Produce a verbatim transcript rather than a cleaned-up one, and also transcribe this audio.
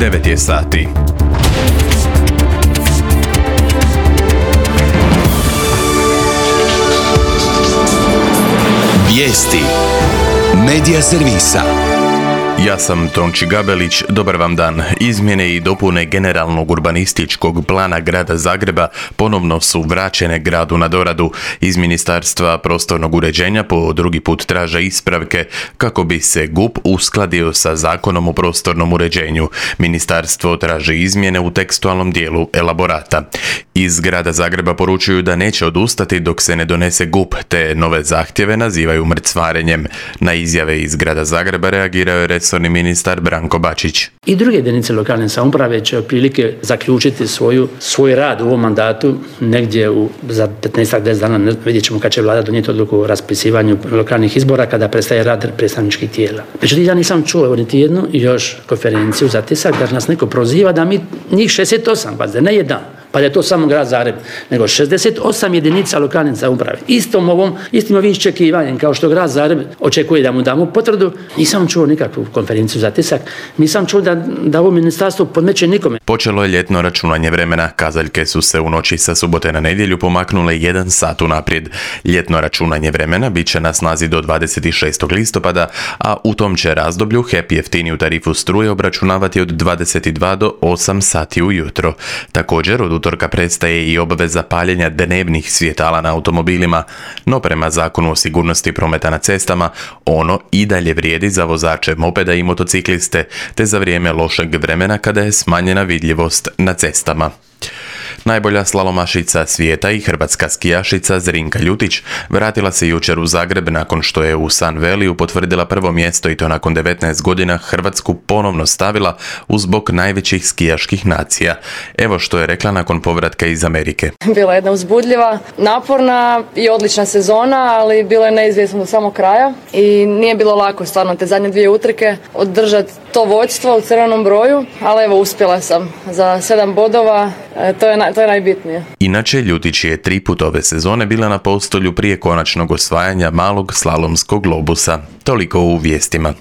devet je sati. Vijesti Medija servisa. Ja sam Tonči Gabelić, dobar vam dan. Izmjene i dopune generalnog urbanističkog plana grada Zagreba ponovno su vraćene gradu na doradu. Iz Ministarstva prostornog uređenja po drugi put traže ispravke kako bi se G U P uskladio sa Zakonom o prostornom uređenju. Ministarstvo traži izmjene u tekstualnom dijelu elaborata. Iz grada Zagreba poručuju da neće odustati dok se ne donese G U P, te nove zahtjeve nazivaju mrcvarenjem. Na izjave iz grada Zagreba reagirao je resorni ministar Branko Bačić. I druge jedinice lokalne samouprave će otprilike zaključiti svoju, svoj rad u ovom mandatu negdje u, za petnaest do deset dana. Vidjet ćemo kad će vlada donijeti odluku o raspisivanju lokalnih izbora kada prestaje rad predstavničkih tijela. Međutim, ja nisam čuo niti jednu još konferenciju za tisak da nas neko proziva da mi njih šezdeset osam, pazite, ne jedan, pa da je to samo grad Zagreb, nego šezdeset osam jedinica lokalne samouprave. Istom ovom, istim ovim iščekivanjem kao što grad Zagreb očekuje da mu damo potvrdu, nisam čuo nikakvu konferenciju za tisak, nisam čuo da, da ovo ministarstvo podmeće nikome. Počelo je ljetno računanje vremena. Kazaljke su se u noći sa subote na nedjelju pomaknule jedan sat unaprijed. Ljetno računanje vremena bit će na snazi do dvadeset šestog listopada, a u tom će razdoblju H E P jeftiniju tarifu struje obračunavati od dvadeset dva do osam sati ujutro. Također, od utorka prestaje i obveza paljenja dnevnih svjetala na automobilima, no prema Zakonu o sigurnosti prometa na cestama, ono i dalje vrijedi za vozače mopeda i motocikliste, te za vrijeme lošeg vremena kada je smanjena vidljivost na cestama. Najbolja slalomašica svijeta i hrvatska skijašica Zrinka Ljutić vratila se jučer u Zagreb nakon što je u Sun Valleyu potvrdila prvo mjesto i to nakon devetnaest godina Hrvatsku ponovno stavila uz bok najvećih skijaških nacija. Evo što je rekla nakon povratka iz Amerike. Bila je jedna uzbudljiva, naporna i odlična sezona, ali bilo je neizvjesno do samog kraja i nije bilo lako stvarno te zadnje dvije utrke održati to vođstvo u crvenom broju, ali evo uspjela sam za sedam bodova, to je, to je najbitnije. Inače, Ljutić je tri put ove sezone bila na postolju prije konačnog osvajanja malog slalomskog globusa. Toliko u vijestima.